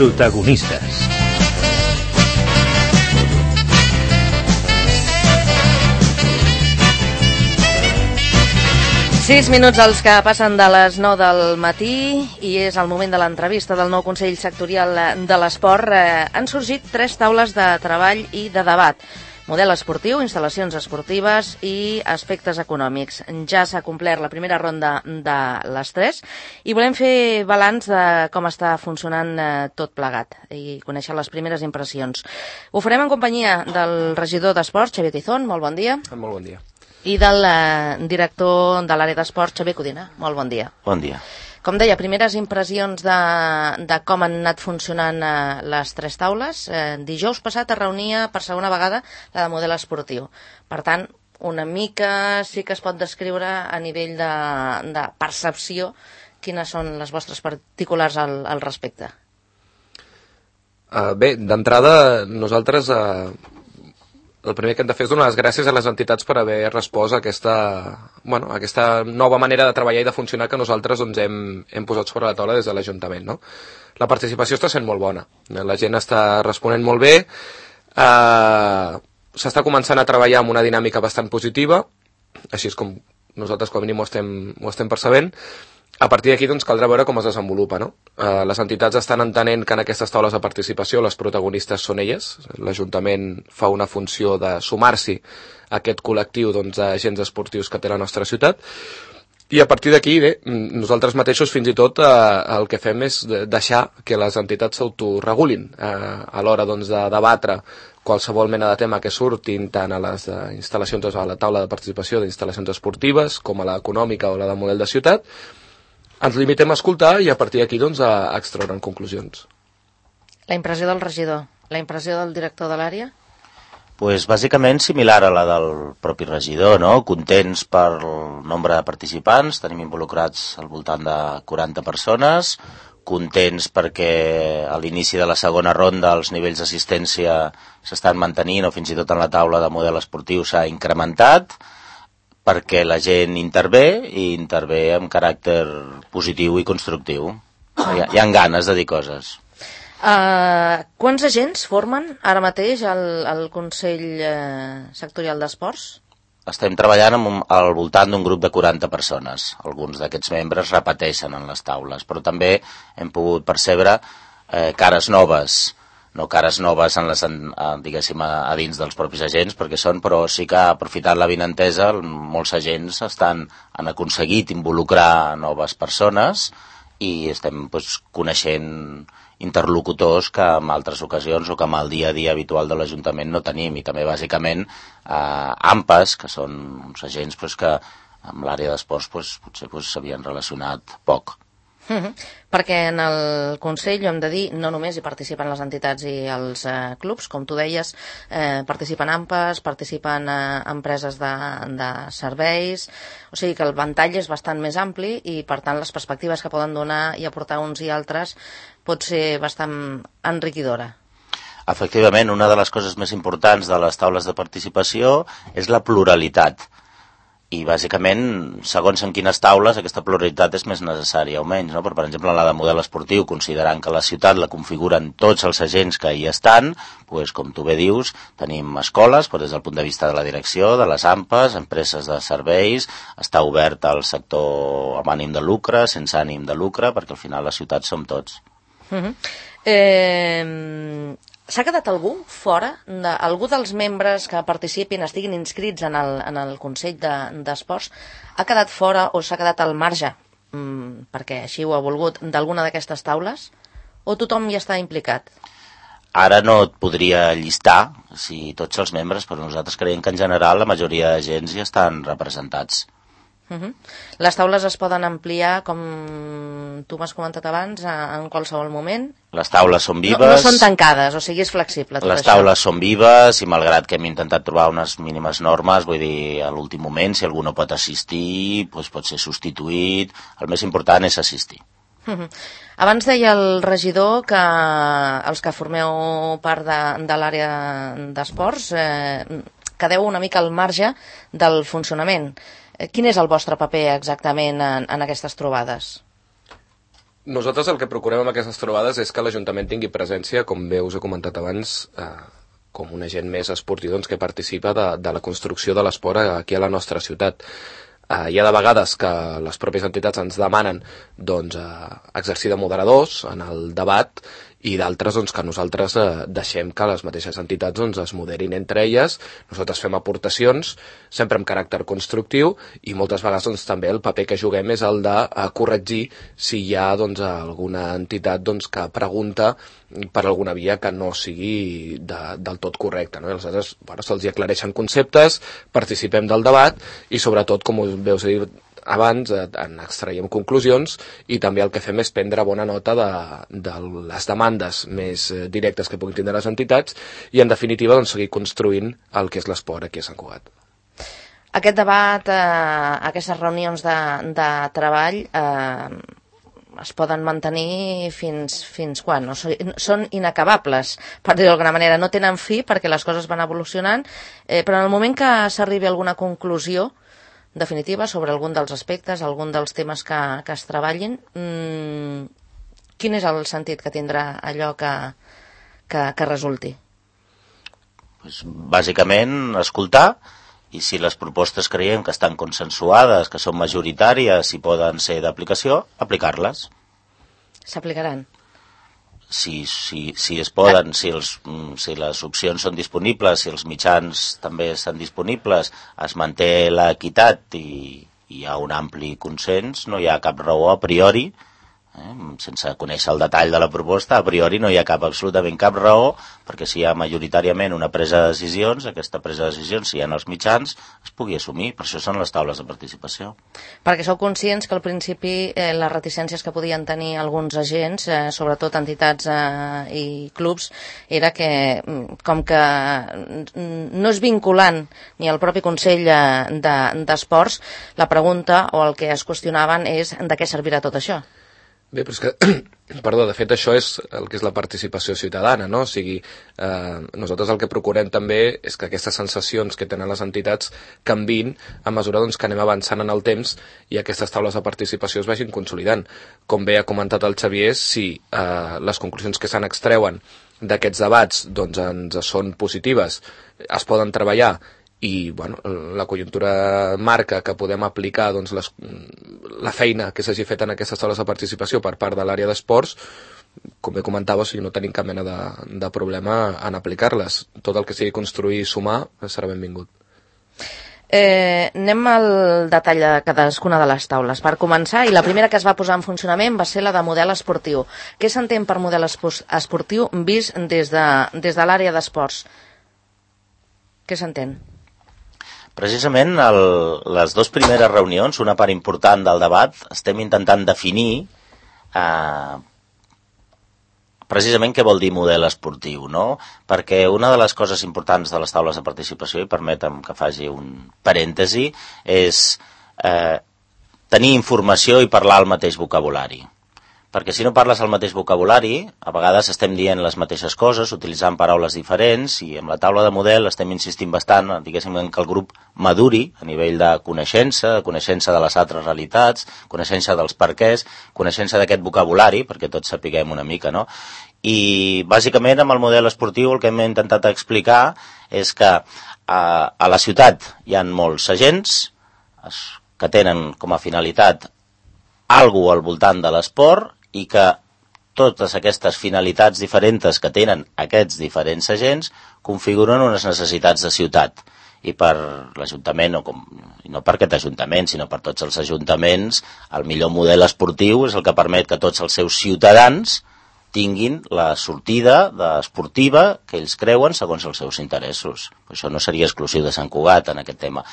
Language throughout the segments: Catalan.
Protagonistes. Sis minuts els que passen de les 9 del matí i és el moment de l'entrevista del nou Consell Sectorial de l'Esport. Han sorgit 3 taules de treball i de debat. Model esportiu, instal·lacions esportives i aspectes econòmics. Ja s'ha complert la primera ronda de les 3 i volem fer balanç de com està funcionant tot plegat i conèixer les primeres impressions. Ho farem en companyia del regidor d'Esports, Xavier Tizón. Molt bon dia. Molt bon dia. I del director de l'àrea d'esports, Xavier Codina. Molt bon dia. Bon dia. Com deia, primeres impressions de com han anat funcionant les 3 taules. Dijous passat es reunia per segona vegada la de model esportiu. Per tant, una mica sí que es pot descriure a nivell de percepció quines són les vostres particulars al respecte. Bé, d'entrada, nosaltres... el primer que hem de fer és donar les gràcies a les entitats per haver respost a aquesta nova manera de treballar i de funcionar que nosaltres hem posat sobre la taula des de l'Ajuntament. No? La participació està sent molt bona, la gent està responent molt bé, s'està començant a treballar amb una dinàmica bastant positiva, així és com nosaltres com a mínim ho estem percebent. A partir d'aquí doncs, caldrà veure com es desenvolupa. No? Les entitats estan entenent que en aquestes taules de participació les protagonistes són elles. L'Ajuntament fa una funció de sumar-s'hi a aquest col·lectiu d'agents esportius que té la nostra ciutat. I a partir d'aquí, bé, nosaltres mateixos fins i tot el que fem és deixar que les entitats s'autoregulin a l'hora de debatre qualsevol mena de tema que surtin tant a les instal·lacions, a la taula de participació d'instal·lacions esportives com a l'econòmica o la de model de ciutat. Ens limitem a escoltar i a partir d'aquí a extraure'n conclusions. La impressió del regidor, la impressió del director de l'àrea? Pues bàsicament similar a la del propi regidor, no? Contents per el nombre de participants, tenim involucrats al voltant de 40 persones, contents perquè a l'inici de la segona ronda els nivells d'assistència s'estan mantenint o fins i tot en la taula de model esportiu s'ha incrementat, perquè la gent intervé i intervé amb caràcter positiu i constructiu. Hi ha ganes de dir coses. Quants agents formen ara mateix el Consell Sectorial d'Esports? Estem treballant al voltant d'un grup de 40 persones. Alguns d'aquests membres repeteixen en les taules, però també hem pogut percebre cares noves, no cares noves diguéssim, a dins dels propis agents, perquè però sí que aprofitant la vinentesa, molts agents han aconseguit involucrar noves persones i estem coneixent interlocutors que en altres ocasions o que en el dia a dia habitual de l'Ajuntament no tenim, i també bàsicament AMPAs, que són uns agents que amb l'àrea d'esports potser s'havien relacionat poc. Perquè en el Consell, ho hem de dir, no només hi participen les entitats i els clubs, com tu deies, participen AMPAs, participen empreses de serveis, o sigui que el ventall és bastant més ampli i per tant les perspectives que poden donar i aportar uns i altres pot ser bastant enriquidora. Efectivament, una de les coses més importants de les taules de participació és la pluralitat. I bàsicament, segons en quines taules, aquesta pluralitat és més necessària o menys. No? Per exemple, en la de model esportiu, considerant que la ciutat la configuren tots els agents que hi estan, com tu bé dius, tenim escoles, però des del punt de vista de la direcció, de les AMPAs, empreses de serveis, està obert al sector amb ànim de lucre, sense ànim de lucre, perquè al final la ciutat som tots. S'ha quedat algú fora? Algú dels membres que participin, estiguin inscrits en el Consell d'Esports, ha quedat fora o s'ha quedat al marge, perquè així ho ha volgut, d'alguna d'aquestes taules? O tothom hi està implicat? Ara no et podria llistar tots els membres, però nosaltres creiem que en general la majoria d'agents hi estan representats. Les taules es poden ampliar, com tu m'has comentat abans, en qualsevol moment? Les taules són vives. No són tancades, o sigui, és flexible tot les això. Les taules són vives i malgrat que hem intentat trobar unes mínimes normes, vull dir, a l'últim moment, si algú no pot assistir, pot ser substituït. El més important és assistir. Abans deia el regidor que els que formeu part de l'àrea d'esports quedeu una mica al marge del funcionament. Quin és el vostre paper exactament en aquestes trobades? Nosaltres el que procurem amb aquestes trobades és que l'Ajuntament tingui presència, com bé us he comentat abans, com un agent més esportiu que participa de la construcció de l'esport aquí a la nostra ciutat. Hi ha de vegades que les pròpies entitats ens demanen exercir de moderadors en el debat i d'altres que nosaltres deixem que les mateixes entitats es moderin entre elles. Nosaltres fem aportacions, sempre amb caràcter constructiu, i moltes vegades també el paper que juguem és el de corregir si hi ha alguna entitat que pregunta per alguna via que no sigui del tot correcta, no? I aleshores se'ls aclareixen conceptes, participem del debat i sobretot, com us veus dir abans, en extraiem conclusions, i també el que fem és prendre bona nota de les demandes més directes que puguin tindre les entitats i, en definitiva, seguir construint el que és l'esport aquí a Sant Cugat. Aquest debat, aquestes reunions de treball es poden mantenir fins quan? No? Són inacabables, per dir-ho d'alguna manera. No tenen fi perquè les coses van evolucionant, però en el moment que s'arribi a alguna conclusió definitiva sobre algun dels aspectes, algun dels temes que es treballin, quin és el sentit que tindrà allò que resulti? Bàsicament, escoltar, i si les propostes creiem que estan consensuades, que són majoritàries i poden ser d'aplicació, aplicar-les. S'aplicaran? Si es poden, si les opcions són disponibles, si els mitjans també estan disponibles, es manté l'equitat i hi ha un ampli consens, no hi ha cap raó a priori, sense conèixer el detall de la proposta, a priori no hi ha absolutament cap raó, perquè si hi ha majoritàriament una presa de decisions, aquesta presa de decisions, si hi ha els mitjans, es pugui assumir. Per això són les taules de participació. Perquè sou conscients que al principi les reticències que podien tenir alguns agents, sobretot entitats i clubs, era que, com que no és vinculant ni el propi Consell d'Esports, la pregunta o el que es qüestionaven és de què servirà tot això? Bé, però és que, perdó, de fet això és el que és la participació ciutadana, no? O sigui, nosaltres el que procurem també és que aquestes sensacions que tenen les entitats canviïn a mesura que anem avançant en el temps i aquestes taules de participació es vagin consolidant. Com bé ha comentat el Xavier, si les conclusions que se'n extreuen d'aquests debats ens són positives, es poden treballar i la conjuntura marca que podem aplicar la feina que s'hagi fet en aquestes taules de participació per part de l'àrea d'esports, com bé comentava, no tenim cap mena de problema en aplicar-les. Tot el que sigui construir i sumar serà benvingut. Anem al detall de cadascuna de les taules. Per començar, i la primera que es va posar en funcionament va ser la de model esportiu. Què s'entén per model esportiu vist des de l'àrea d'esports? Què s'entén? Precisament les dues primeres reunions, una part important del debat, estem intentant definir precisament què vol dir model esportiu, no? Perquè una de les coses importants de les taules de participació, i permetem que faci un parèntesi, és tenir informació i parlar el mateix vocabulari. Perquè si no parles el mateix vocabulari, a vegades estem dient les mateixes coses, utilitzant paraules diferents, i amb la taula de model estem insistint bastant, diguéssim, que el grup maduri a nivell de coneixença de les altres realitats, coneixença dels perquès, coneixença d'aquest vocabulari, perquè tots sapiguem una mica, no? I bàsicament amb el model esportiu el que hem intentat explicar és que a la ciutat hi ha molts agents que tenen com a finalitat alguna al voltant de l'esport, i que totes aquestes finalitats diferents que tenen aquests diferents agents configuren unes necessitats de ciutat. I per l'Ajuntament, i no per aquest Ajuntament, sinó per tots els ajuntaments, el millor model esportiu és el que permet que tots els seus ciutadans tinguin la sortida esportiva que ells creuen segons els seus interessos. Això no seria exclusiu de Sant Cugat en aquest tema.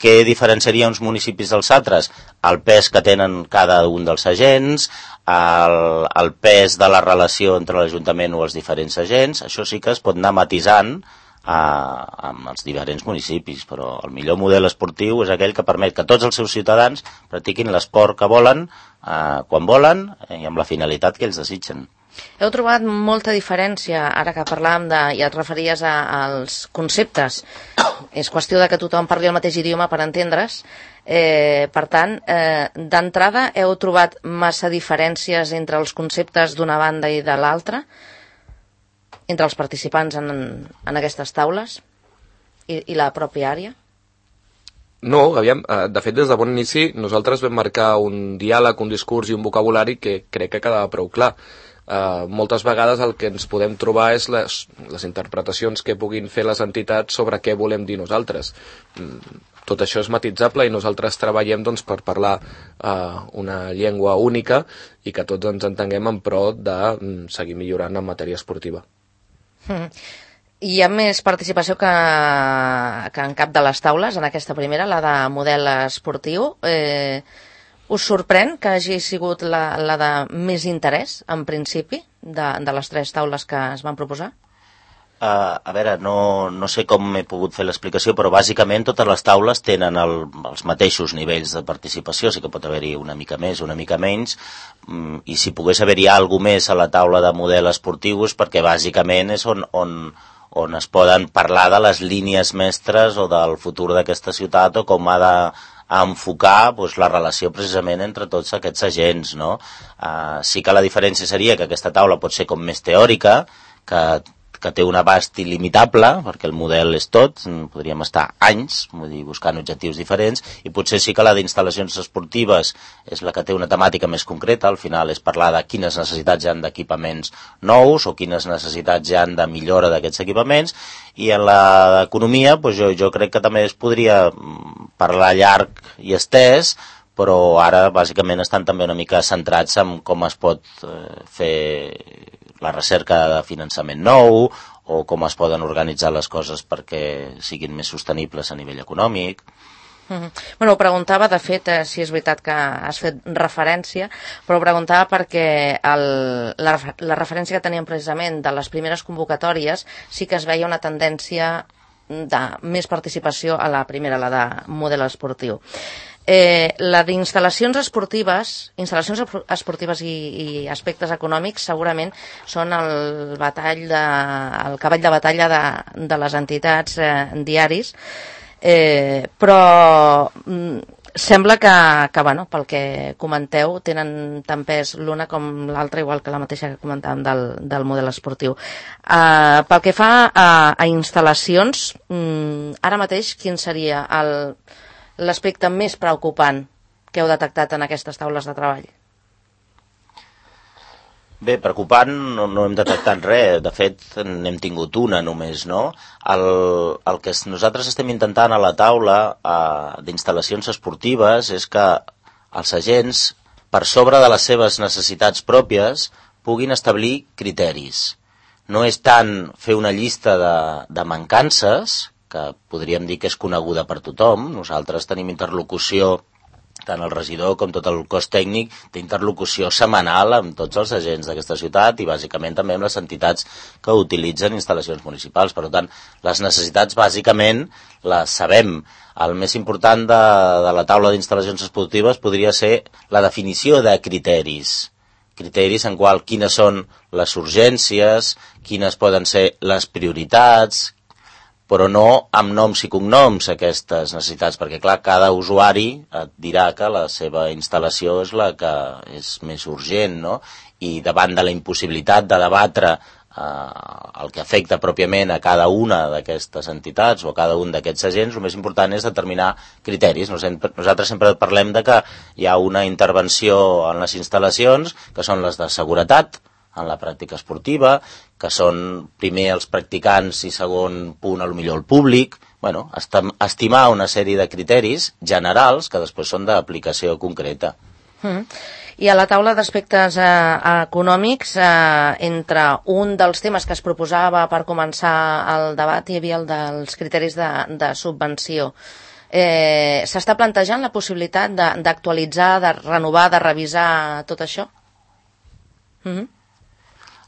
Què diferenciaria uns municipis dels altres? El pes que tenen cada un dels agents, el pes de la relació entre l'Ajuntament o els diferents agents, això sí que es pot anar matisant amb els diferents municipis, però el millor model esportiu és aquell que permet que tots els seus ciutadans practiquin l'esport que volen, quan volen i amb la finalitat que ells desitgen. Heu trobat molta diferència, ara que parlàvem i et referies als conceptes. És qüestió de que tothom parli el mateix idioma per entendre's. Per tant, d'entrada, heu trobat massa diferències entre els conceptes d'una banda i de l'altra, entre els participants en aquestes taules i la pròpia àrea? No, aviam, de fet, des de bon inici nosaltres vam marcar un diàleg, un discurs i un vocabulari que crec que quedava prou clar. Moltes vegades el que ens podem trobar és les interpretacions que puguin fer les entitats sobre què volem dir nosaltres. Tot això és matitzable i nosaltres treballem doncs, per parlar una llengua única i que tots ens entenguem en pro de seguir millorant en matèria esportiva. Hi ha més participació que en cap de les taules, en aquesta primera, la de model esportiu. Us sorprèn que hagi sigut la de més interès, en principi, de les 3 taules que es van proposar? A veure, no sé com he pogut fer l'explicació, però bàsicament totes les taules tenen els mateixos nivells de participació, sí que pot haver-hi una mica més, una mica menys, i si pogués haver-hi alguna més a la taula de model esportiu és perquè bàsicament és on es poden parlar de les línies mestres o del futur d'aquesta ciutat o com ha d'enfocar la relació precisament entre tots aquests agents, no? Sí que la diferència seria que aquesta taula pot ser com més teòrica, que té un abast il·limitable, perquè el model és tot, podríem estar anys buscant objectius diferents, i potser sí que la d'instal·lacions esportives és la que té una temàtica més concreta, al final és parlar de quines necessitats hi ha d'equipaments nous o quines necessitats hi ha de millora d'aquests equipaments, i en la d'economia jo crec que també es podria parlar llarg i estès, però ara bàsicament estan també una mica centrats en com es pot fer la recerca de finançament nou o com es poden organitzar les coses perquè siguin més sostenibles a nivell econòmic. Bueno, ho preguntava, de fet, si és veritat que has fet referència, però ho preguntava perquè la referència que teníem precisament de les primeres convocatòries sí que es veia una tendència de més participació a la primera, la de model esportiu. La d'instal·lacions esportives i aspectes econòmics segurament són el cavall de batalla de les entitats diaris, però sembla que bueno, pel que comenteu tenen tant pes l'una com l'altra, igual que la mateixa que comentàvem del model esportiu. Pel que fa a instal·lacions, ara mateix quin seria l'aspecte més preocupant que heu detectat en aquestes taules de treball? Bé, preocupant no hem detectat res, de fet n'hem tingut una només, no? El que nosaltres estem intentant a la taula d'instal·lacions esportives és que els agents, per sobre de les seves necessitats pròpies, puguin establir criteris. No és tant fer una llista de mancances, que podríem dir que és coneguda per tothom. Nosaltres tenim interlocució, tant el regidor com tot el cos tècnic, d'interlocució setmanal amb tots els agents d'aquesta ciutat i bàsicament també amb les entitats que utilitzen instal·lacions municipals. Per tant, les necessitats bàsicament les sabem. El més important de la taula d'instal·lacions esportives podria ser la definició de criteris. Criteris en qual quines són les urgències, quines poden ser les prioritats, però no amb noms i cognoms aquestes necessitats, perquè clar, cada usuari et dirà que la seva instal·lació és la que és més urgent, no? I davant de la impossibilitat de debatre el que afecta pròpiament a cada una d'aquestes entitats o a cada un d'aquests agents, el més important és determinar criteris. Nosaltres sempre parlem de que hi ha una intervenció en les instal·lacions, que són les de seguretat, en la pràctica esportiva, que són primer els practicants i segon punt potser el públic, bueno, estimar una sèrie de criteris generals que després són d'aplicació concreta. I a la taula d'aspectes econòmics, entre un dels temes que es proposava per començar el debat hi havia el dels criteris de subvenció. S'està plantejant la possibilitat d'actualitzar, de renovar, de revisar tot això?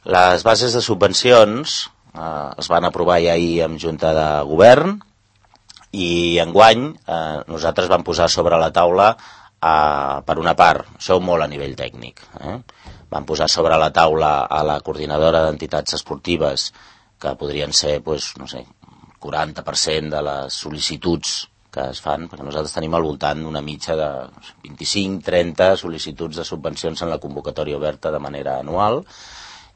Les bases de subvencions es van aprovar ja ahir en Junta de Govern i enguany nosaltres vam posar sobre la taula, per una part, això molt a nivell tècnic, vam posar sobre la taula a la coordinadora d'entitats esportives, que podrien ser, 40% de les sol·licituds que es fan, perquè nosaltres tenim al voltant d'una mitja de 25-30 sol·licituds de subvencions en la convocatòria oberta de manera anual,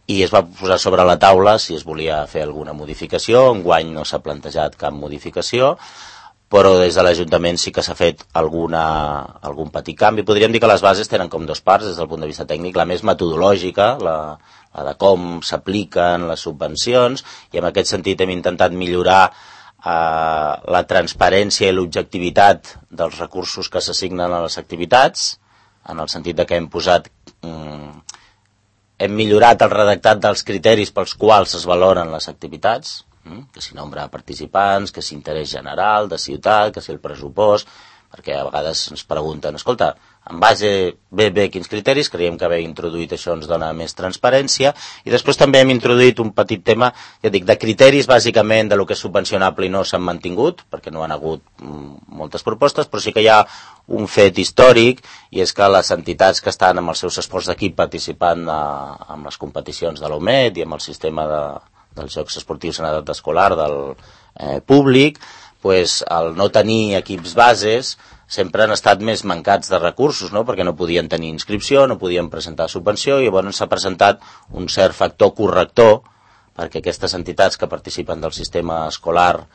i es va posar sobre la taula si es volia fer alguna modificació. Enguany no s'ha plantejat cap modificació, però des de l'Ajuntament sí que s'ha fet algun petit canvi. Podríem dir que les bases tenen com dues parts des del punt de vista tècnic, la més metodològica, la de com s'apliquen les subvencions, i en aquest sentit hem intentat millorar la transparència i l'objectivitat dels recursos que s'assignen a les activitats, en el sentit de que hem millorat el redactat dels criteris pels quals es valoren les activitats, que si nombre de participants, que si interès general, de ciutat, que si el pressupost, perquè a vegades ens pregunten, escolta, en base bé quins criteris, creiem que haver introduït això ens dona més transparència, i després també hem introduït un petit tema, ja dic, de criteris bàsicament de lo que és subvencionable i no s'han mantingut, perquè no han hagut moltes propostes, però sí que hi ha un fet històric, i és que les entitats que estan amb els seus esports d'equip participant en les competicions de l'OMED i amb el sistema dels Jocs Esportius en edat escolar del públic, pues, el no tenir equips bases sempre han estat més mancats de recursos, no? Perquè no podien tenir inscripció, no podien presentar subvenció, i llavors s'ha presentat un cert factor corrector perquè aquestes entitats que participen del sistema escolar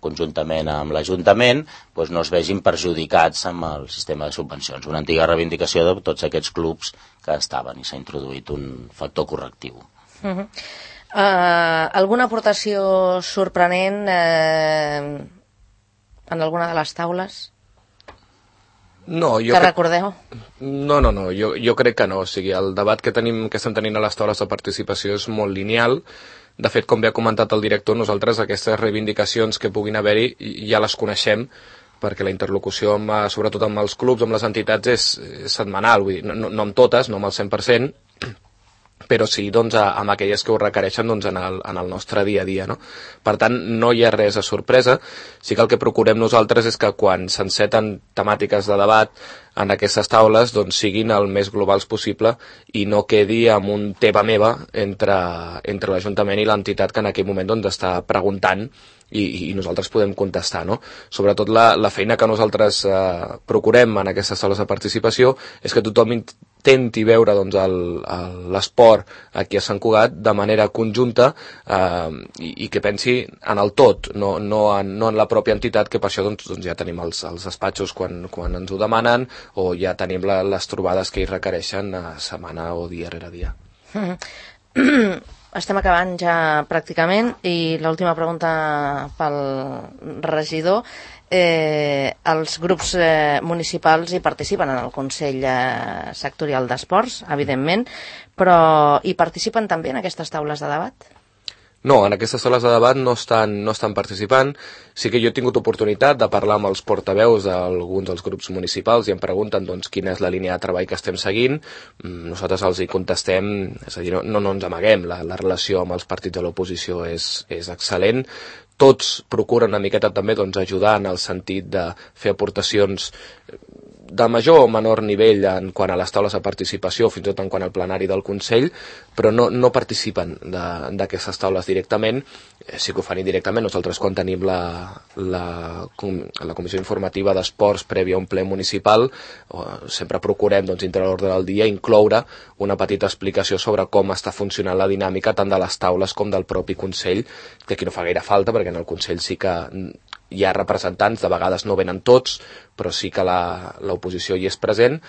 conjuntament amb l'Ajuntament pues, no es vegin perjudicats amb el sistema de subvencions. Una antiga reivindicació de tots aquests clubs que estaven, i s'ha introduït un factor correctiu. Alguna aportació sorprenent en alguna de les taules? No, que recordeu? No, jo crec que no. O sigui, el debat que estem tenint a les taules de participació és molt lineal. De fet, com bé ha comentat el director, nosaltres aquestes reivindicacions que puguin haver-hi ja les coneixem, perquè la interlocució, sobretot amb els clubs, amb les entitats, és setmanal. Vull dir, no amb totes, no amb el 100%, però sí amb aquelles que ho requereixen en el nostre dia a dia, no? Per tant, no hi ha res de sorpresa. Sí que el que procurem nosaltres és que quan s'enceten temàtiques de debat en aquestes taules siguin el més globals possible i no quedi amb un teva meva entre l'Ajuntament i l'entitat que en aquell moment està preguntant i nosaltres podem contestar, no? Sobretot la feina que nosaltres procurem en aquestes taules de participació és que tothom intenti veure l'esport aquí a Sant Cugat de manera conjunta i que pensi en el tot, no en la pròpia entitat, que per això ja tenim els despatxos quan ens ho demanen, o ja tenim les trobades que hi requereixen setmana o dia rere dia. Estem acabant ja pràcticament, i l'última pregunta pel regidor. Els grups municipals hi participen en el Consell Sectorial d'Esports, evidentment, però hi participen també en aquestes taules de debat? No, en aquestes taules de debat no estan participant. Sí que jo he tingut oportunitat de parlar amb els portaveus d'alguns dels grups municipals i em pregunten quina és la línia de treball que estem seguint. Nosaltres els hi contestem, és a dir, no ens amaguem, la relació amb els partits de l'oposició és excel·lent. Tots procuren una miqueta també ajudar en el sentit de fer aportacions de major o menor nivell en quant a les taules de participació, fins i tot en quant al plenari del Consell, però no participen d'aquestes taules directament. Sí que ho fan indirectament. Nosaltres, quan tenim la comissió informativa d'esports prèvia a un ple municipal, sempre procurem, dintre l'ordre del dia, incloure una petita explicació sobre com està funcionant la dinàmica tant de les taules com del propi Consell, que aquí no fa gaire falta, perquè en el Consell sí que hi ha representants, de vegades no venen tots, però sí que l'oposició hi és present.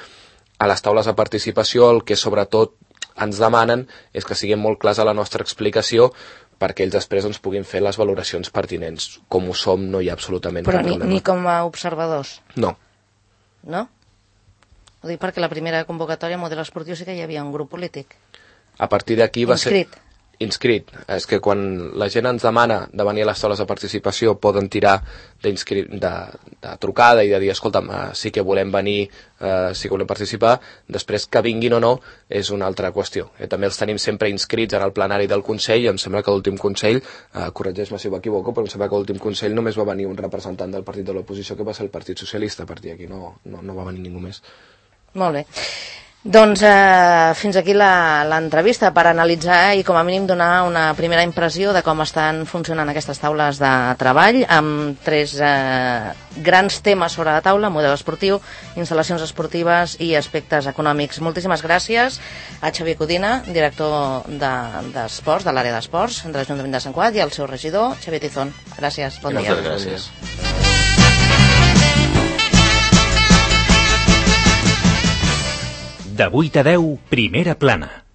A les taules de participació el que sobretot ens demanen és que siguem molt clars a la nostra explicació perquè ells després puguin fer les valoracions pertinents. Com ho som, no hi ha absolutament cap problema. Però ni com a observadors? No. No? Ho dic perquè la primera convocatòria a model esportiu sí que hi havia un grup polític. A partir d'aquí va ser... Inscrit. És que quan la gent ens demana de venir a les taules de participació poden tirar de trucada i de dir, escolta'm, sí que volem venir, sí que volem participar. Després que vinguin o no és una altra qüestió. També els tenim sempre inscrits en el plenari del Consell, i em sembla que l'últim Consell, corregeix-me si m'equivoco, però em sembla que l'últim Consell només va venir un representant del partit de l'oposició, que va ser el Partit Socialista. A partir d'aquí no va venir ningú més. Molt bé. Doncs fins aquí l'entrevista per analitzar i com a mínim donar una primera impressió de com estan funcionant aquestes taules de treball amb 3 grans temes sobre la taula: model esportiu, instal·lacions esportives i aspectes econòmics. Moltíssimes gràcies a Xavier Codina, director d'Esports, de l'àrea d'Esports de l'Ajuntament de Sant Cugat, i al seu regidor, Xavier Tizón. Gràcies, bon dia. Moltes gràcies. De 8 a 10, Primera Plana.